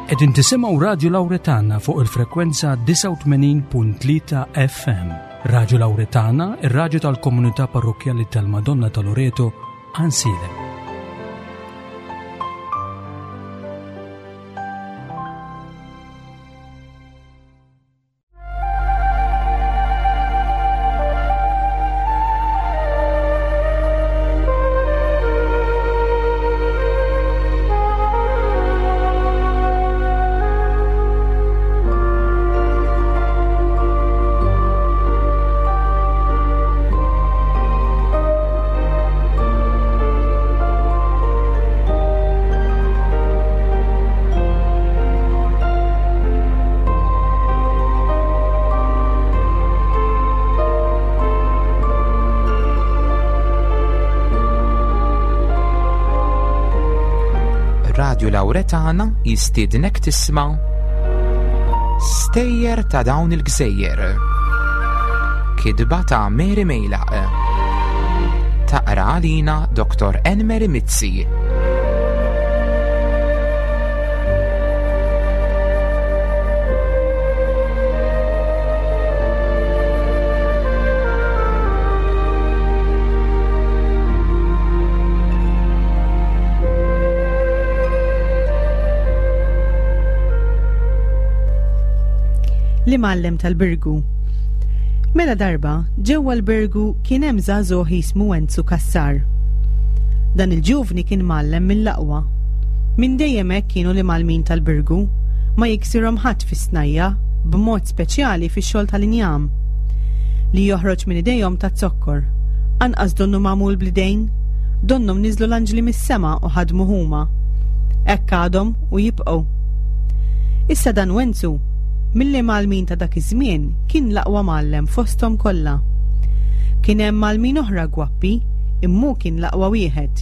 Qegħdin tisimgħu Radju Lawretana fuq il-frekwenza 89.3 FM. Radju Lawretana, ir-radju tal-komunità parrokkjali tal-Madonna ta' Loreto, Ansilem. Radju Lawretana jistiednek tisma' Stejjer ta' dawn il-gżejjer. Kidba ta' Mary Mejlaq. Taqra għalina Dr. Enmeri Mizzi. L-imgħallem tal-Birgu. Mela darba, ġewwa l-Birgu kien hemm żagħżugħ jismu Enzu Cassar. Dan il-ġuvni kien mgħallem mill-aqwa. Minn dejjem hekk kienu l-imgħallmin tal-Birgu, ma jiksirhom ħadd fis-snajja, b'mod speċjali fix-xogħol tal-injam. Li joħroġ minn idejhom taz-zokkor. Anqas donnu magħmul bl-idejn, donnhom niżlu l-anġli mis-sema u ħadmuh huma. Hekk għadhom u jibqgħu. Issa dan Wenzu, mill-imgħallmin ta' dak iż-żmien, kien l-aqwa mgħallem fosthom kollha. Kien hemm mgħallmin oħra gwappi, imma hu kien l-aqwa wieħed.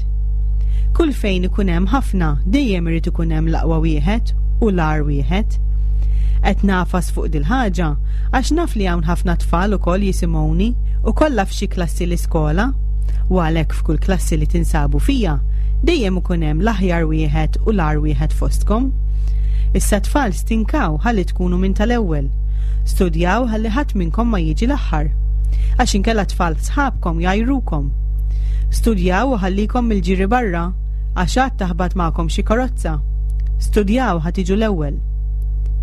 Kull fejn ikun hemm ħafna, dejjem irid ikun hemm l-aqwa wieħed u l-agħar wieħed. Qed nagħfas fuq dil-ħaġa għax naf li hawn ħafna tfal ukoll jisimgħuni u kollha f'xi klassi l-iskola, u għalhekk f'kull klassi li tinsabu fija dejjem ikun hemm l-aħjar wieħed u l-agħar wieħed fostkom. Issa tfal stinkaw ħalli tkunu minn tal-ewwel. Studjaw ħalli ħadd minnkom ma jiġi l-aħħar. Għax inkella tfal sħabkom jgħajrukom. Studjaw u ħallikom mill-ġiri barra għax għad taħbat magħkom xi karozza. Studjaw ħa tiġu l-ewwel.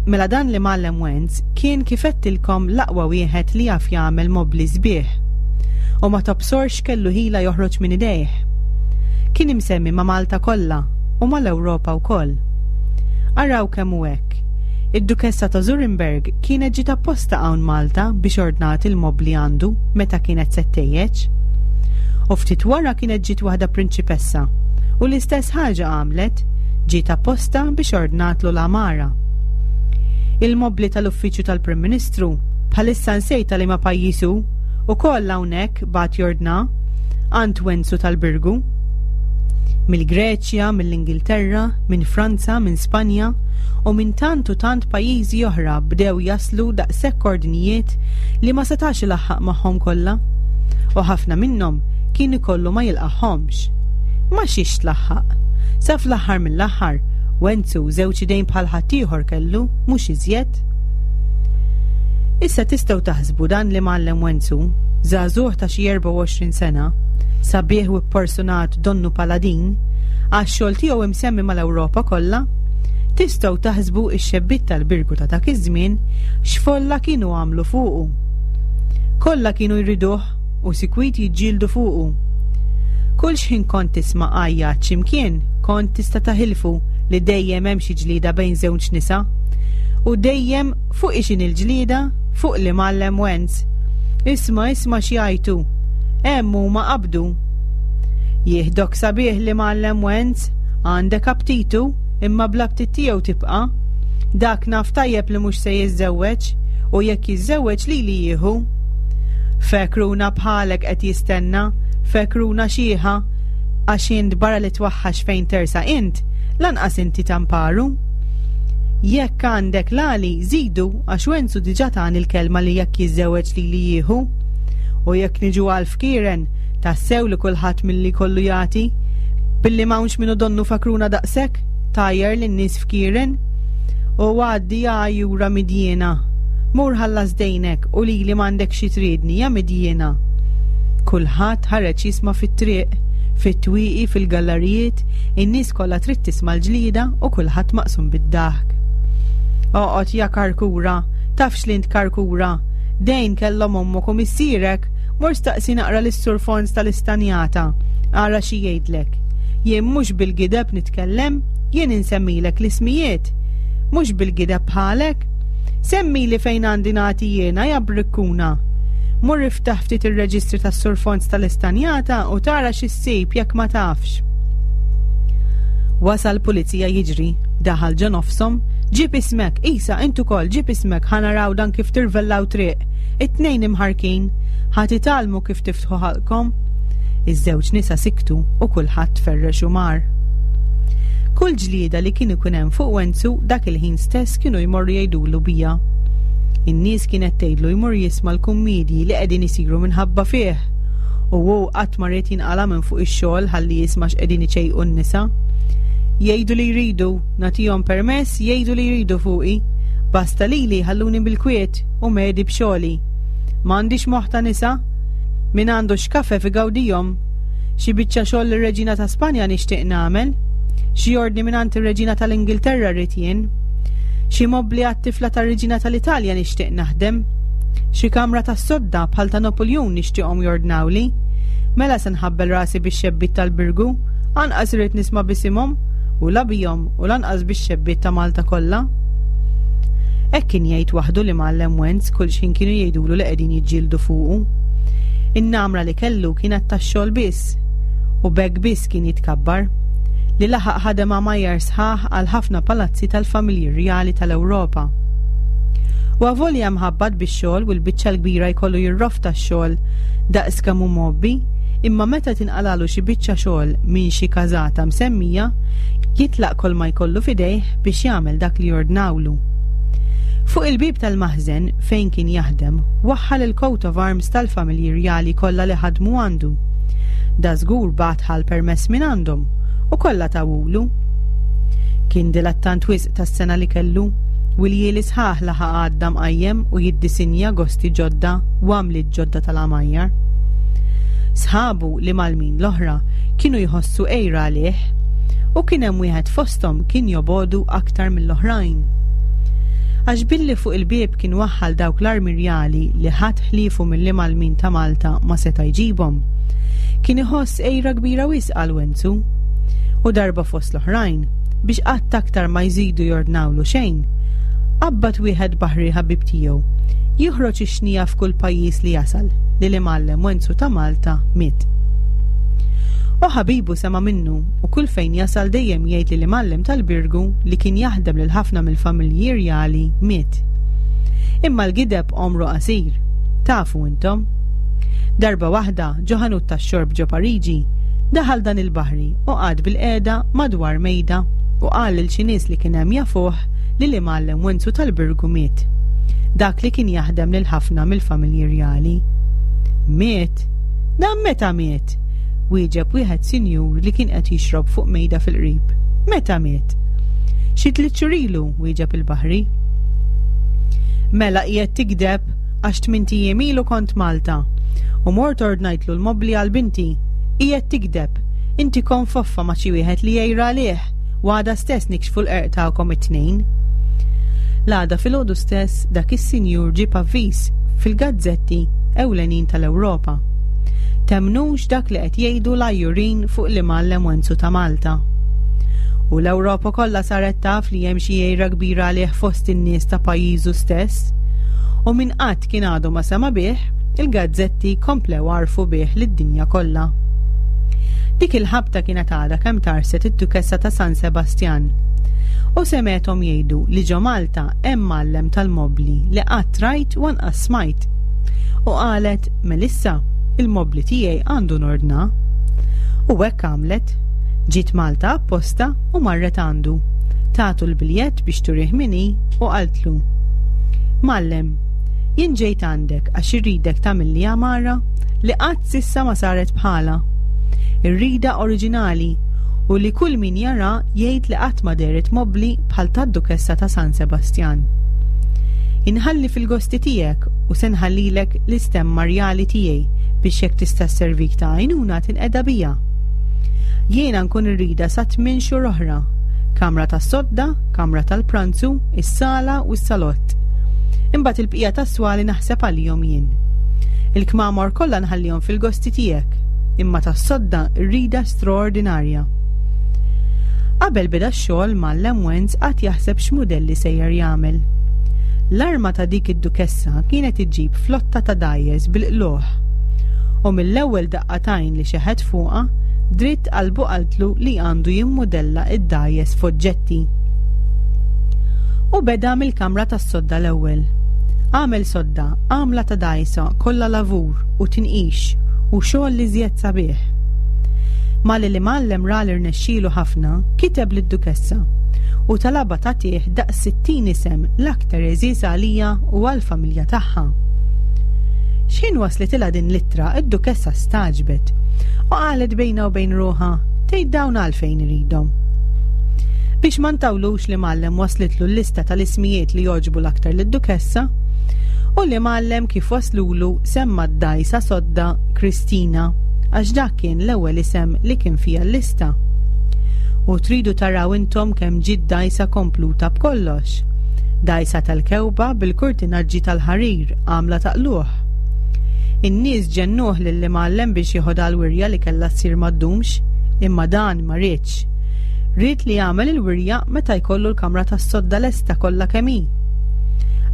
Mela dan l-imgħallem Wenz kien kif għedtilkom l-aqwa wieħed li jaf jagħmel mobbli sbieħ. U ma tobsorx x'kellu ħila joħroġ minn idejh. Kien imsemmi ma' Malta kollha u mal-Ewropa wkoll. Araw kemm hu hekk. Id-Dukessa ta' Zurenberg kienet ġiet apposta hawn Malta biex ordnat il-mobbli għandu meta kienet se ttejjeġ. U ftit wara kienet ġiet waħda prinċipessa u l-istess ħaġa għamlet, ġiet apposta biex ordnatlu l-għamara. Il-mobbli tal-uffiċċju tal-Prim Ministru, bħalissa nsejt ta' liema pajjiż hu, ukoll hawnhekk bagħat jordna għand Wenzu tal-Birgu. Mill-Greċja, mill-Ingilterra, minn Franza, minn Spanja u minn tant u tant pajjiżi oħra bdew jaslu daqshekk ordnijiet li ma setax ilaħħaq magħhom kollha. U ħafna minnhom kien ikollu ma jilqagħhomx. Ma xiex tlaħħaq. Sa fl-aħħar mill-aħħar, Wenzu żewġ idejn bħal ħaddieħor kellu, mhux iżjed. Issa tistgħu taħsbu dan l-imgħallem Wenzu, żagħżugħ ta' xi 24 sena, sabiħ u pporsunat donnu paladin, għax-xogħol tiegħu imsemmi mal-Ewropa kollha, tistgħu taħsbu x-xebbiet tal-Birgu ta' dak iż-żmien x'folla kienu għamlu fuqu. Kollha kienu jriduh u sikwit jiġġieldu fuqu. Kull xħin kont tisma' għajjat x'imkien, kont tista' taħilfu li dejjem hemm xi ġlieda bejn żewġ nisa. U dejjem fuq ixin il-ġlieda? Fuq l-imgħallem Wenz. Isma' isma' x'jgħajtu. Hemm huma qabdu. Jieħdok sabiħ l-imgħallem Wenz, għandek aptitu, imma bl-aptit tiegħu tibqa'. Dak naf tajjeb li mhux se jiżżewweġ, u jekk jiżżewweġ lili jieħu. Fekruna bħalek qed jistenna, fekruna xiħa, għax int barra li twaħħax fejn tersaq int, lanqas inti tamparu. Jekk għandek l-għali, żidu għax Wenzu diġà tani l-kelma li jekk jiżżewweġ lili jieħu. U jekk niġu għal fkieren, tassew li kulħadd milli jkollu jagħti. Billi m'hawnx min hu donnu fakruna daqshekk, tgħajjar lin-nies fkieren. U għaddi ja għajjura midjiena. Mur ħallas dejnek u lili m'għandek xi tridni, ja midjiena. Kulħadd ħareġ jisma' fit-triq, fit-twieqi, fil-gallarijiet, in-nies kollha trid tisma' l-ġlieda u kulħadd maqsum bid-daħk. Oqgħod ja karkura, tafx li int karkura. Dejn kellhom ommok u missierek, mur staqsi naqra lis-Sur Fons tal-Istanjata, ara xi jgħidlek. Jien mhux bil-gideb nitkellem, jien insemmilek l-ismijiet. Mhux bil-gideb bħalek. Semmili fejn għandi nagħti jiena ja brikkuna. Mur iftaħ ftit ir-reġistri tas-Sur Fons tal-Istanjata u tara xi ssib jekk ma tafx. Wasal pulizija jiġri, daħal ġo nofshom, ġib ismek, Isa, int ukoll ġib ismek ħa naraw dan kif tirvellaw triq. It-tnejn imħarkin, ħa titgħallmu kif tiftħu ħalqkom. Iż-żewġ nisa siktu u kulħadd tferrex u mar. Kull ġlieda li kien ikun hemm fuq Wenzu dak il-ħin stess kienu jmorru jgħidulu bija. In-nies kienet tgħidlu jmur jisma' l-kummiedji li qegħdin isiru minħabba fih. U hu qatt ma ried jinqala' minn fuq ix-xogħol ħalli jisma' x'qegħdin iċejqu n-nisa. Jgħidu li jridu, nagħtihom permess jgħidu li jridu fuqi. Basta lili ħalluni bil-kwiet u medi b'xogħli. M'għandix moħħ ta' nisa. Min għandu xkafef igawdihom. Xi biċċa xogħol lir-Reġina ta' Spanja nixtieq nagħmel. Xi ordni mingħand ir-Reġina tal-Ingilterra rrid jien. Xi mobbli għat-tifla tar-Reġina tal-Italja nixtieq naħdem. Xi kamra tas-sodda bħal ta' Napuljun nixtieqhom jordnawli. Mela se nħabbel rasi bix-xebbiet tal-Birgu, anqas irrid nisma' b'isimhom u la bihom u lanqas bix-xebbiet ta' Malta kollha. Hekk kien jgħid waħdu l-Imgħallem Wenz kull xħin kienu jgħidulu li qegħdin jiġġieldu fuqu. In-namra li kellu kienet tax-xogħol biss, u b'hekk biss kien jitkabbar, li laħaq ħadem għamajjar sħaħ għal ħafna palazzi tal-familji rjali tal-Ewropa. U avolja mħabbat bix-xogħol u l-biċċa l-kbira jkollu jirrofta x-xogħol daqs kemm hu mgħobbi, imma meta tinqalalu xi biċċa xogħol minn xi każata msemmija, jitlaq kolma jkollu f'idejh biex jagħmel dak li jordnawlu. Fuq il-bieb tal-maħżen fejn kien jaħdem, waħħal il-coat of arms tal-familji rjali kollha li ħadmu għandu. Dażgur bagħat ħa l-permess minn għandhom u kollha tawulu. Kien dilettant wisq tas-sengħa li kellu, u ljieli sħaħ laħaq għadda mqajjem u jiddisinja gosti ġodda u għamliet ġodda tal-għamajjar. Sħabu l-imgħallmin l-oħra kienu jħossu għira għalih u kien hemm wieħed fosthom kien jobogħdu aktar mill-oħrajn. Għax billi fuq il-bieb kien waħħal dawk l-armi rjali li ħadd ħliefu mill-imgħallmin ta' Malta ma seta' jġibhom, kien iħoss għira kbira wisq għal Wenzu. U darba fost l-oħrajn, biex qatt aktar ma jżidu jordnawlu xejn, qabbad wieħed baħri ħabib tiegħu joħroġ ix-xnija f'kull pajjiż li jasal li l-imgħallem Wenzu ta' Malta miet. U ħabibu sema' minnu u kull fejn jasal dejjem jgħid li l-imgħallem tal-Birgu li kien jaħdem lil ħafna mill-familji rjali miet. Imma l-gideb għomru qasir. Tafu intom. Darba waħda, ġo ħanut tax-xorb ġo Pariġi, daħal dan il-baħri u qagħad bilqiegħda madwar mejda u qal lil xi nies li kien hemm jafuh li l-imgħallem Wenzu tal-Birgu miet. Dak li kien jaħdem lil ħafna mill-familji rjali. Miet? Dan meta miet? Wieġeb wieħed sinjur li kien qed jixrob fuq mejda fil-qrib. Meta miet? Xi tliet xhur ilu, wieġeb il-baħri. Mela qiegħed tigdeb għax tmint ijiem ilu kont Malta u mort ordnajtlu l-mobbli għal binti. Qiegħed tigdeb. Inti konfoffa ma' xi wieħed li jgħir għalih u għada stess nikxfu l-qerq tagħkom it-tnejn. L-għada filgħodu stess dak is-sinjur ġieb avviż fil-gazzetti ewlenin tal-Ewropa. Temmnux dak li qed jgħidu l-għajjurin fuq l-imgħallem Wenzu ta' Malta. U l-Ewropa kollha saret taf li hemm xi għira kbira għalih fost in-nies ta' pajjiżu stess. U min qatt kien għadu ma sema' bih, il-gazzetti komplew għarrfu bih lid-dinja kollha. Dik il-ħabta kienet għadha kemm tarset id-Dukessa ta' San Sebastjan. U semgħethom jgħidu li ġo Malta hemm mgħallem tal-mobbli li qatt rajt u anqas smajt. U qalet, Melissa, il-mobbli tiegħi għandu nordna. U hekk għamlet. Ġiet Malta apposta u marret għandu. Tatu l-biljett biex turih min hi u qaltlu, Mgħallem, jien ġejt għandek għax irridek tagħmilli għamara li qatt s'issa ma saret bħalha. Irridha oriġinali. u li kull min jara jgħid li qatt ma dehret mobbli bħal tad-Dukessa ta' San Sebastjan. Inħalli fil-gosti tiegħek u se nħallilek l-istemma rjali tiegħi biex jekk tista' sservik ta' għajnuna tinqeda bija. Jiena nkun irridha sa tmien xhur oħra. Kamra tas-sodda, kamra tal-pranzu, is-sala u s-salott. Imbagħad il-bqija tas-swali naħseb għalihom jien. Il-kmamar kollha nħallihom fil-gosti tiegħek, imma tas-sodda rridha straordinarja. Qabel beda x-xogħol mgħallem Wenz qagħad jaħseb x'mudelli sejjer jagħmel. L-arma ta' dik id-dukessa kienet iġġib flotta ta' dgħajjes bil-qlugħ. U mill-ewwel daqqa t'għajn li xeħet fuqha, dritt qalbu qaltlu li għandu jimmudella d-dgħajjes f'oġġetti. U beda mill-kamra tas-sodda l-ewwel. Għamel sodda, għamla ta' dgħajsa kollha lavur u tinqix u xogħol l-iżjed sabiħ. Malli l-imgħallem ra li rnexxielu ħafna, kiteb lid-Dukessa u talabha tagħtih daqs 60 isem l-aktar għeżież għalija u għall-familja tagħha. X'ħin waslitilha din l-ittra, id-Dukessa stagħġbet u qalet bejnha u bejn ruħha, tgħid dawn għalfejn iridhom. Biex ma ntawlux l-imgħallem waslitlu l-lista tal-ismijiet li jogħġbu l-aktar lid-Dukessa, u l-imgħallem kif waslulu semma d-dgħajsa sodda Kristina għax dak kien l-ewwel isem li kien fiha l-lista. U tridu taraw intom kemm ġiet dgħajsa kompluta b'kollox. Dgħajsa tal-kewba bil-kurtinaġġi tal-ħarir għamla ta' qlugħ. In-nies ġennuh lill-imgħallem biex jeħodha l-wirja li kellha ssir ma ddumx, imma dan ma riedx. Ried li jagħmel il-wirja meta jkollu l-kamra tas-sodda lesta kollha kemm hi.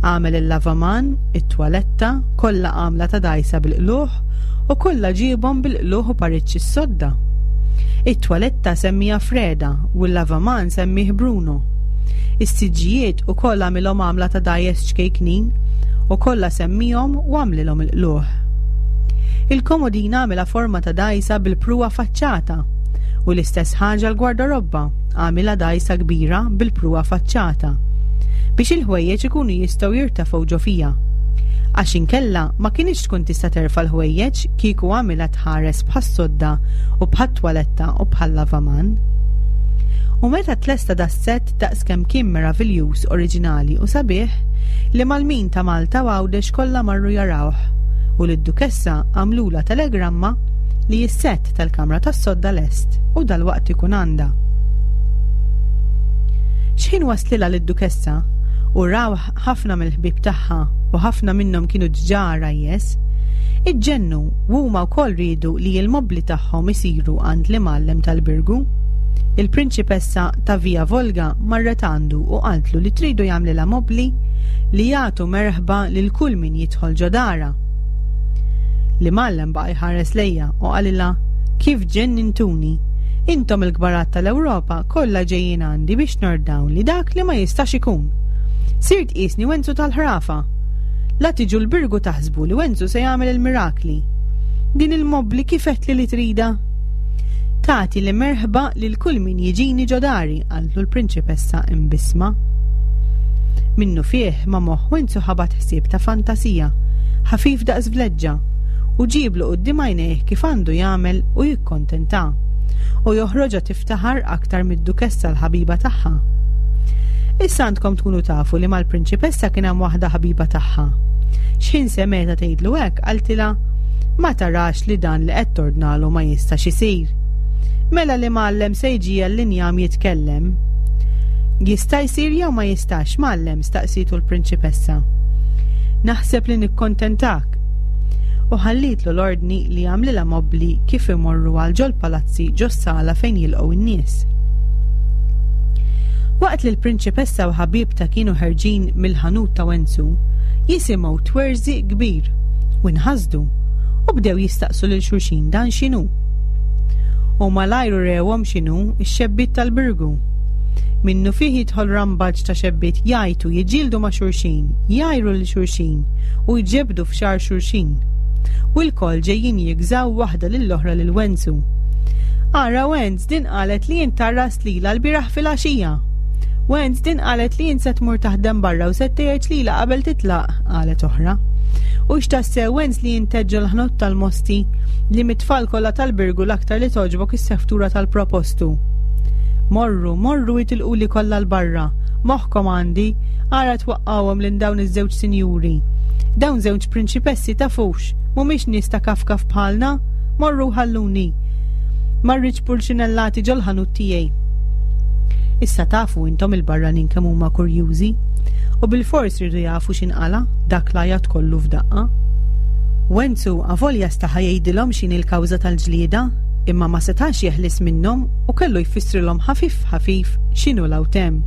Għamel il-lavaman, it-twaletta, kollha għamla ta' dgħajsa bil-qlugħ u kollha ġiebhom bil-qlugħ u pariġġ is-sodda. It-twaletta semmiha Freda u l-lavaman semmih Bruno. Is-siġġijiet ukoll għamilhom għamla ta' dgħajjes ċkejknin u kollha semmihom u għamlilhom il-qlugħ. Il-komodina għamilha forma ta' dgħajsa bil-pruwa faċċata u l-istess ħaġa l-gwardarobba għamilha dgħajsa kbira bil-pruwa faċċata biex il-ħwejjeġ ikunu jistgħu jirtefgħu ġo fiha. Għax inkella ma kinitx tkun tista' terfa' l-ħwejjeġ kieku għamilha tħares bħas-sodda u bħat-twaletta u bħal-lavaman. U meta tlesta das-sett daqskemm kien meraviljuż, oriġinali u sabiħ, l-imgħallmin ta' Malta u Għawdex kollha marru jarawh u lid-Dukessa għamlulha telegramma li s-sett tal-kamra tas-sodda lest u dalwaqt ikun għandha. X'ħin waslilha lid-Dukessa u rawh ħafna mill-ħbieb tagħha u ħafna minnhom kienu diġà għarajjes, iġġennu u huma wkoll riedu li l-mobbli tagħhom isiru għand l-imgħallem tal-Birgu. Il-prinċipessa ta' Via Volga marret għandu u qaltlu li tridu jagħmlilha mobbli li jagħtu merħba lil kull min jidħol ġo darha. L-imgħallem baqa' jħares lejha u qalilha, Kif ġennintuni! Intom il-kbarat tal-Ewropa kollha ġejjin għandi biex nordnawli dak li ma jistax ikun. Sirt qisni Wenzu tal-ħrafa. La tiġu l-Birgu taħsbu li Wenzu se jagħmel il-mirakli. Din il-mobbli kif għedtli li tridha? Tagħti li merħba lil kull min jiġini ġo dari, qaltlu l-prinċipessa imbissma. Minnufih ma' moħħ Wenzu ħabat ħsieb ta' fantasija, ħafif daqs vleġġa, u ġieblu quddiem għajnejh kif għandu jagħmel u jikkontentha, u joħroġha tiftaħar aktar mid-dukessa l-ħabiba tagħha. Issa għandkom tkunu tafu li mal-prinċipessa kien hemm waħda ħabiba tagħha. X'ħin semgħetha tgħidlu hekk, qaltilha, Ma tarax li dan li qed tordnalu ma jistax isir? Mela l-imgħallem se jġiegħel l-injam jitkellem. Jista' jsir jew ma jistax, mgħallem? staqsietu l-prinċipessa. Naħseb li nikkontentak. U ħallietlu l-ordni li jagħmlilha mobbli kif imorru għal ġol-palazzi ġos-sala fejn jilqgħu n-nies. Waqt li l-prinċipessa u ħabibtha kienu ħerġin mill-ħanut ta' Wenzu, jisimgħu twerżiq kbir u nħasdu u bdew jistaqsu lil xulxin dan x'inhu. U malajr urewhom x'inhu x-xebbiet tal-Birgu. Minnufih jidħol rambaġġ ta' xebbiet jgħajtu, jiġġieldu ma' xulxin, jgħajru lil xulxin u jġebbdu f'xagħar xulxin. U lkoll ġejjin jigżaw waħda lill-oħra lil Wenzu. Ara Wenz, din qalet li int tgħarrast lilha lbieraħ filgħaxija. Wenz, din qalet li int se tmur taħdem barra u se ttejjeġ lilha qabel titlaq, qalet oħra. Hux tassew Wenz li int għedt ġol-ħnut tal-mosti li mit-tfal kollha tal-Birgu l-aktar li togħġbok is-seftura tal-propostu? Morru, morru itilquli kollha 'l barra. Moħħkom għandi, ara twaqqgħuhom lil dawn iż-żewġ sinjuri. Dawn żewġ prinċipessi tafux, mhumiex nies ta' kafkaf bħalna. Morru ħalluni. Ma rridx pulċinellati ġol-ħanut tiegħi. Issa tafu intom il-barranin kemm huma kurjużi. U bilfors riedu jafu x'inqala' dak l-għajat kollu f'daqqa. Wenzu avolja staħa jgħidilhom x'inhi l-kawża tal-ġlieda, imma ma setax jeħlis minnhom u kellu jfissrilhom ħafif ħafif x'inhu l-awtem.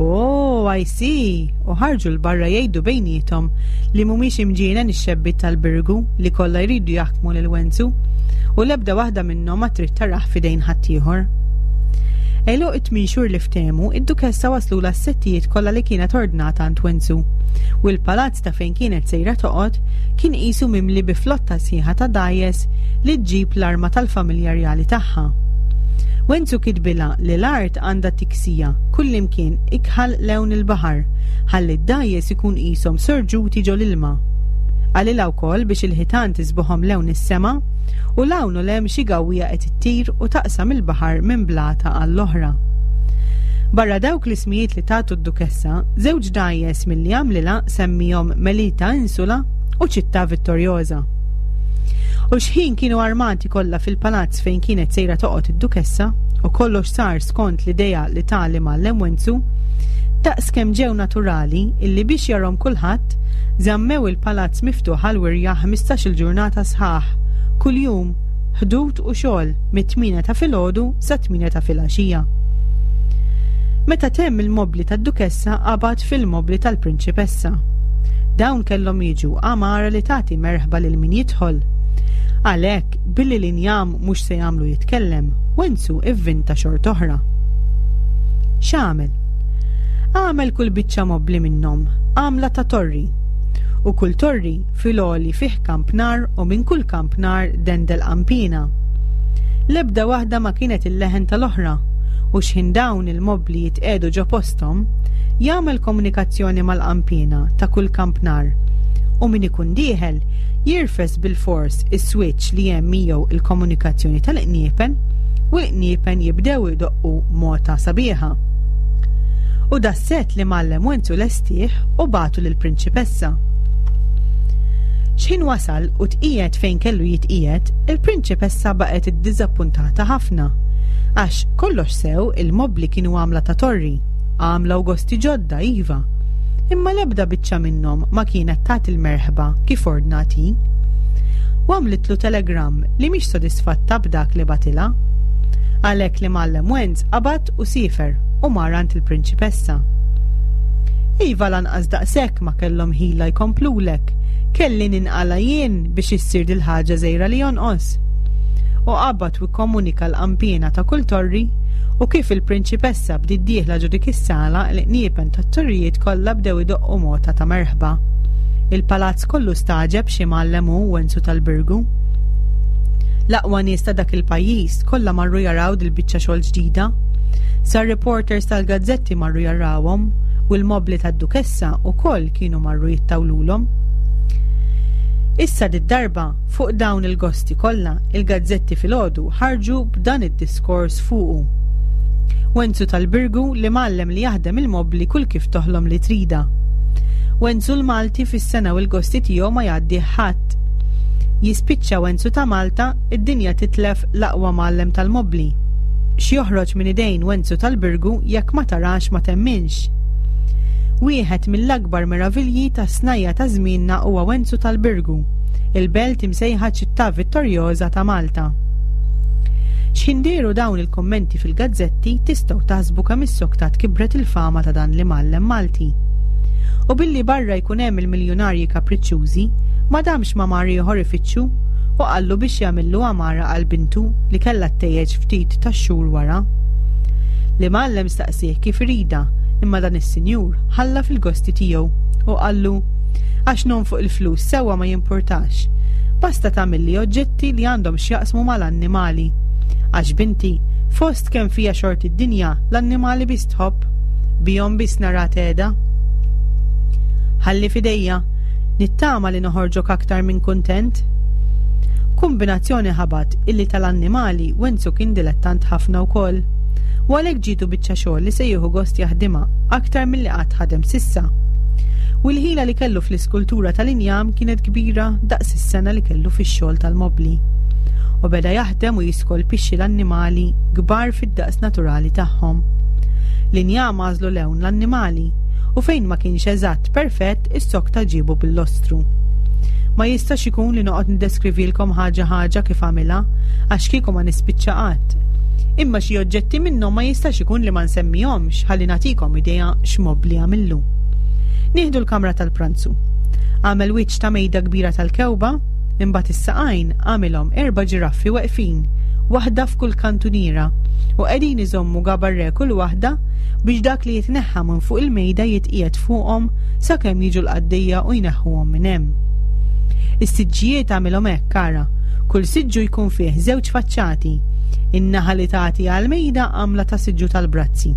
Oh, I see! U ħarġu 'l barra jgħidu bejniethom li mhumiex imġienen ix-xebbiet tal-Birgu li kollha jridu jaħkmu lil Wenzu u l-ebda waħda minnhom ma trid tarah f'idejn ħaddieħor. Għeluq it-tmien xhur li ftehmu, id-Dukessa waslulha s-settijiet kollha li kienet ordnat għand Wenzu u l-palazz ta' fejn kienet sejra toqgħod kien qisu mimli bi flotta sħiħa ta' dgħajjes li ġġib l-arma tal-familja rjali tagħha. Wenzu kitbilha li l-art għandha tiksija kullimkien ikħal lewn il-baħar ħalli d-dgħajjes ikun qishom sorġuti ġol-ilma. Qalilha wkoll biex il-ħitan tiżboħhom lewn is-sema u 'l hawn u 'l hemm xi gawwija qed ittir u taqsam il-baħar minn blata għall-oħra. Barra dawk l-ismijiet li tatu d-Dukessa, żewġ dgħajjes milli għamlilha semmihom Melita Insula u Città Vittoriosa. U xħin kienu armati kollha fil-palazz fejn kienet sejra toqgħod id-Dukessa u kollox sar skont l-idea li ta l-imgħallem Wenzu, daqs kemm ġew naturali illi biex jarhom kulħadd, żammew il-palazz miftuħ għall-wirja 15-il ġurnata sħaħ, kuljum, ħdud u xogħol mit-tmienja ta' filgħodu sat-tmienja ta' filgħaxija. Meta temm il-mobbli tad-Dukessa qabad fil-mobbli tal-Prinċipessa. Dawn kellhom jiġu għamara li tagħti merħba lil min jidħol. Għalhekk, billi l-injam mhux se jagħmlu jitkellem, Wenzu ivvinta xort'oħra. X'għamel? Għamel kull biċċa mobbli minnhom għamla ta' torri. U kull torri fil-għoli fih kampnar u minn kull kampnar dendel qanpiena. L-ebda waħda ma kienet il-leħen tal-oħra, u x'ħin dawn il-mobbli jitqiegħdu ġo posthom, jagħmel komunikazzjoni mal-qanpiena ta' kull kampnar u min ikun dieħel jirfes bilfors is-switch li hemm miegħu il-komunikazzjoni tal-qniepen u l-qniepen jibdew idoqqu mota sabiħa. U das-sett li mgħallem Wenzu lestih u bagħtu lill-prinċipessa. X'ħin wasal u tqiegħed fejn kellu jitqiegħed, il-prinċipessa baqgħet iddiżappuntata ħafna. Għax kollox sew il-mobbli kienu għamla ta' torri, għamla u gosti ġodda, iva. Imma l-ebda biċċa minnhom ma kienet tagħti l-merħba kif ordnat hi. U għamlitlu telegramm li mhix sodisfatta b'dak li bagħtilha. Għalhekk l-imgħallem Wenz qabad u siefer u mar għand il-prinċipessa. Iva lanqas daqshekk ma kellhom ħila jkomplulek. Kelli ninqala' jien biex issir dil-ħaġa żgħira li jonqos. U qabad u kkomunika l-qanpiena ta' kull torri u kif il-prinċipessa bdiet dieħla ġo dik is-sala l-qniepen tat-torrijiet kollha bdew idoqqu mota ta' merħba. Il-palazz kollu stagħġeb xi mgħallem hu Wenzu tal-Birgu. L-aqwa nies ta' dak il-pajjiż kollha marru jaraw dil-biċċa xogħol ġdida. Sa reporters tal-gazzetti marru jarawhom u l-mobbli tad-Dukessa wkoll kienu marru jittawlulhom. Issa did-darba, fuq dawn il-gosti kollha, il-gazzetti filgħodu ħarġu b'dan id-diskors fuqu. Wenzu tal-Birgu li mgħallem li jaħdem il-mobbli kull kif toħlom li tridha. Wenzu l-Malti fis-sena u l-gosti tiegħu ma jgħaddih ħadd. Jispiċċa Wenzu ta' Malta, id-dinja titlef l-aqwa mgħallem tal-mobbli. X'joħroġ minn idejn Wenzu tal-Birgu jekk ma tarax ma temminx. Wieħed mill-akbar meravilji tas-snajja ta' żmienna huwa Wenzu tal-Birgu, il-belt imsejħa Ċittà Vittorjoża ta' Malta. X'ħin dehru dawn il-kummenti fil-gazzetti tistgħu taħsbu kemm issoktat kibret il-fama ta' dan l-imgħallem Malti. U billi barra jkun hemm il-miljunarji kapriċċużi, ma damx ma mar ieħor ifittxu u qallu biex jagħmillu għamara għal bintu li kellha ttejjeġ ftit tax-xhur wara. L-imgħallem staqsieh kif iridha, imma dan is-sinjur ħalla fil-gosti tiegħu u qallu, Għax nonfoq il-flus sewwa ma jimpurtax. Basta tagħmilli oġġetti li għandhom x'jaqsmu mal-annimali. Għax binti, fost kemm fiha xorti d-dinja, l-annimali biss tħobb. Bihom biss naraha tgħeda. Ħalli f'idejja, nittama li noħorġok aktar minn kuntent. Kumbinazzjoni ħabat illi tal-annimali Wenzu kien dilettant ħafna wkoll. U għalhekk ġietu biċċa xogħol li se jieħu gost jaħdimha aktar milli qatt ħadem s'issa. U l-ħila li kellu fl-iskultura tal-injam kienet kbira daqs is-sengħa li kellu fix-xogħol tal-mobbli. U beda jaħdem u jiskolpixxi l-annimali kbar fid-daqs naturali tagħhom. L-injam għażlu lewn l-annimali u fejn ma kienx eżatt perfett is-sokta ġiebu bil-lostru. Ma jistax ikun li noqgħod niddeskrivilkom ħaġa ħaġa kif għamilha għax kieku ma nispiċċa qatt. Imma xi oġġetti minnhom ma jistax ikun li ma nsemmihomx ħalli nagħtikom idea x'mobbli għamillu. Nieħdu l-kamra tal-pranzu. Għamel wiċċ ta' mejda kbira tal-kewba, imbagħad is-saqajn għamilhom erba' ġiraffi weqfin, waħda f'kull kantuniera, u qegħdin iżommu gabarre kull waħda biex dak li jitneħħa minn fuq il-mejda jitqiegħed fuqhom sakemm jiġu l-qaddejja u jneħħuhom minn hemm. Is-siġġijiet għamilhom hekk, ara, kull siġġu jkun fih żewġ faċċati. In-naħa li tagħti għall-mejda għamla ta' siġġu tal-brazzi.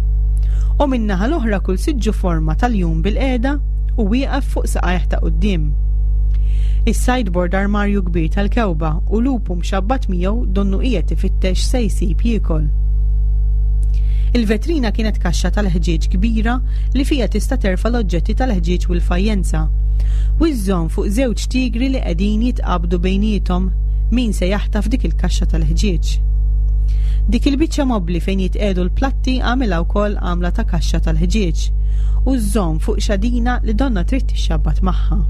U min-naħa l-oħra kull siġġu forma ta' ljun bilqiegħda u wieqaf fuq saqajh ta' quddiem. Is-sideboard armarju kbir tal-kewba u lupu mxabbat miegħu donnu qiegħed ifittex se jsib jiekol. Il-vetrina kienet kaxxa tal-ħġieġ kbira li fiha tista' terfa' l-oġġetti tal-ħġieġ u l-fajjenza. U żżomm fuq żewġ tigri li qegħdin jitqabdu bejniethom min se jaħtaf dik il-kaxxa tal-ħġieġ. Dik il-biċċa mobbli fejn jitqiegħdu l-platti għamilha wkoll għamla ta' kaxxa tal-ħġieġ u żżomm fuq xadina li donnha trid tixxabbat magħha.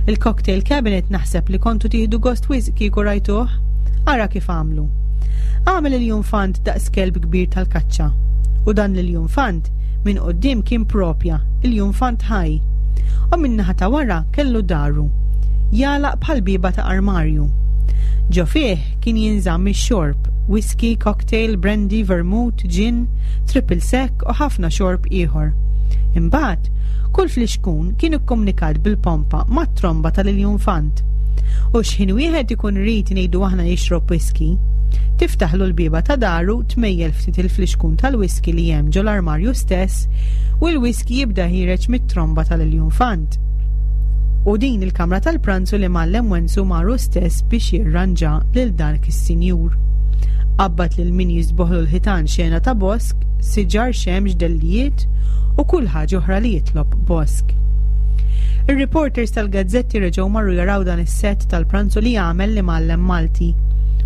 Il-cocktail cabinet naħseb li kontu tieħdu gost wisq kieku rajtuh. Ara kif għamlu. Għamel il-junfant daqs kelb kbir tal-kaċċa. U dan l-junfant minn quddiem kien propja, il-junfant ħaj. U min-naħa ta' wara kellu daru. Jagħlaq bħal bieba ta' armarju. Ġo fih kien jinżamm ix-xorb, whisky, cocktail, brandy, vermouth, gin, triple sec u ħafna xorb ieħor. Imbagħad, kull flixkun kien ikkomunikat bil-pompa mat-tromba tal-iljunfant. U x'ħin wieħed ikun irid ngħidu aħna jixrob whisky, tiftaħlu l-bieba ta' daru, tmejjel ftit il-flixkun tal-whisky li hemm ġol-armarju stess u l-whisky jibda ħiereġ mit-tromba tal-iljunfant. U din il-kamra tal-pranzu li mgħallem Wenzu mar hu stess biex jirranġa lil dak is-sinjur. Qabbad lil min jisboħlu l-ħitan xena ta' bosk, siġar, xemx, dellijiet u kull ħaġa oħra li jitlob bosk. Ir-reporters tal-gazzetti reġgħu marru jaraw dan is-sett tal-pranzu li għamel l-imgħallem Malti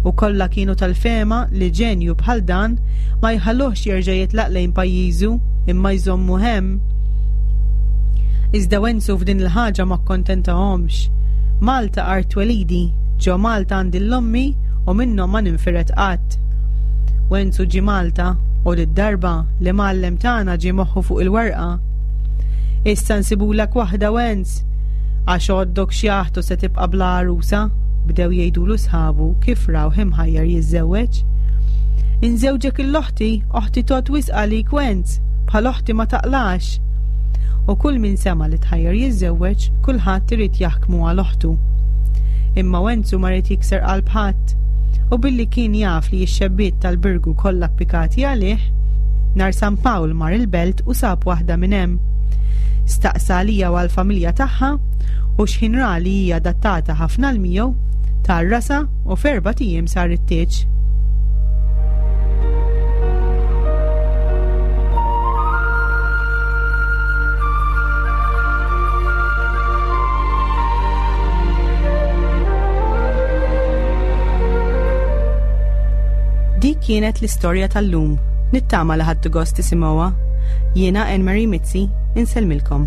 u kollha kienu tal-fehma li ġenju bħal dan ma jħalluhx jerġa' jitlaq lejn pajjiżu imma jżommuh hemm. Iżda Wenzu f'din il-ħaġa ma kkontentahomx. Malta art twelidi, ġo Malta għandi l-ommi u minnhom ma ninfired qatt. Wenzu ġie Malta u did-darba l-imgħallem tagħna ġie moħħu fuq il-werqa. Issa nsibulek waħda Wenz, għax għoddok xjaħt u se tibqa' bla għarusa, bdew jgħidulu sħabu kif rawh imħajjar jiżżewweġ. Inżewġek 'l oħti, oħti tgħodd wisq għalik Wenz, bħal oħti ma taqlax. U kull min sema' li tħajjar jiżżewweġ, kulħadd irid jaħkmu għal oħtu. Imma Wenzu ma ried jikser qalb ħadd, u billi kien jaf li x-xebbiet tal-Birgu kollha ppikati għalih, nhar San Pawl mar il-Belt u sab waħda minn hemm. Staqsa għalija u għall-familja tagħha, u x'ħin ra li hi adattata ħafna għal miegħu, tgħarrasha u f'erbat ijiem sar it-tieġ. Dik kienet l-istorja tal-lum. Nittama li ħadtu gost tisimgħuha. Jiena Anne Marie Mizzi, insellmilkom.